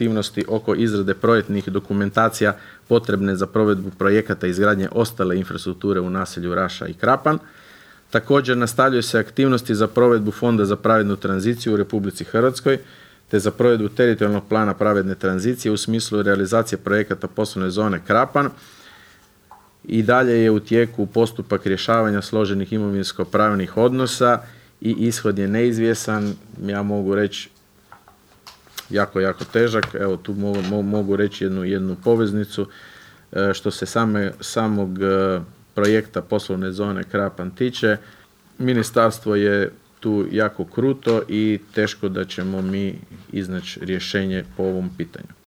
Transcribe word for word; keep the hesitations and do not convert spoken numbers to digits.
aktivnosti oko izrade projektnih dokumentacija potrebne za provedbu projekata izgradnje ostale infrastrukture u naselju Raša i Krapan. Također nastavljaju se aktivnosti za provedbu Fonda za pravednu tranziciju u Republici Hrvatskoj te za provedbu teritorijalnog plana pravedne tranzicije u smislu realizacije projekata poslovne zone Krapan. I dalje je u tijeku postupak rješavanja složenih imovinsko-pravnih odnosa i ishod je neizvjesan, ja mogu reći jako, jako težak. Evo tu mogu, mogu reći jednu, jednu poveznicu. E, što se same, samog e, projekta poslovne zone Krapan tiče, ministarstvo je tu jako kruto i teško da ćemo mi iznaći rješenje po ovom pitanju.